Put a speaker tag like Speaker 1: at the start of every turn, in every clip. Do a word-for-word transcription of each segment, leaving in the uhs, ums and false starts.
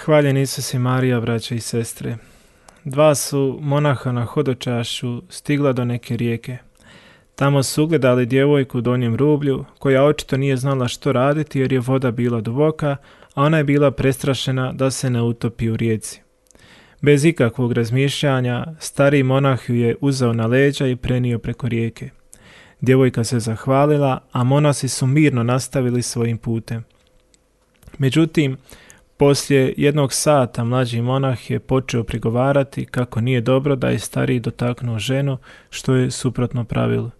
Speaker 1: Hvaljen Isus i Marija, braće i sestre. Dva su monaha na hodočašću stigla do neke rijeke. Tamo su ugledali djevojku u donjem rublju, koja očito nije znala što raditi jer je voda bila duboka, a ona je bila prestrašena da se ne utopi u rijeci. Bez ikakvog razmišljanja, stariji monah ju je uzeo na leđa i prenio preko rijeke. Djevojka se zahvalila, a monasi su mirno nastavili svojim putem. Međutim, poslije jednog sata mlađi monah je počeo prigovarati kako nije dobro da je stariji dotaknuo ženu, što je suprotno pravilu.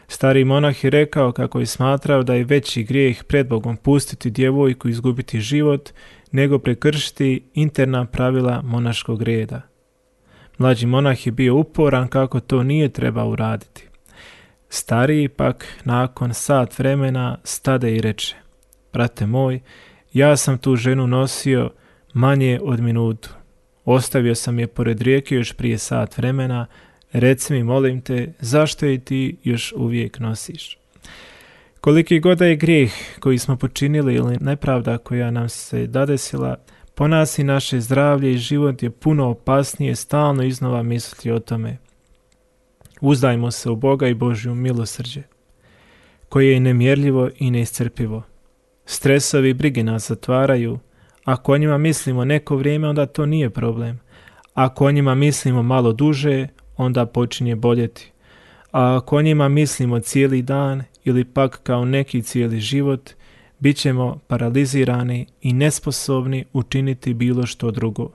Speaker 1: Stariji monah je rekao kako je smatrao da je veći grijeh pred Bogom pustiti djevojku izgubiti život, nego prekršiti interna pravila monaškog reda. Mlađi monah je bio uporan kako to nije trebao uraditi. Stariji pak nakon sat vremena stade i reče: brate moj, ja sam tu ženu nosio manje od minutu. Ostavio sam je pored rijeke još prije sat vremena. Reci mi, molim te, zašto je ti još uvijek nosiš? Koliki god da je grijeh koji smo počinili ili nepravda koja nam se dadesila, po nas i naše zdravlje i život je puno opasnije stalno iznova misliti o tome. Uzdajmo se u Boga i Božju milosrđe, koje je nemjerljivo i neiscrpivo. Stresovi i brige nas zatvaraju. Ako o njima mislimo neko vrijeme, onda to nije problem. Ako o njima mislimo malo duže, onda počinje boljeti. A ako o njima mislimo cijeli dan ili pak kao neki cijeli život, bit ćemo paralizirani i nesposobni učiniti bilo što drugo.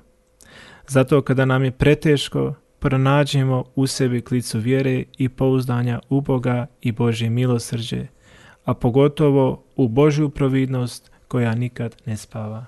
Speaker 1: Zato kada nam je preteško, pronađemo u sebi klicu vjere i pouzdanja u Boga i Božje milosrđe, a pogotovo u Božju providnost koja nikad ne spava.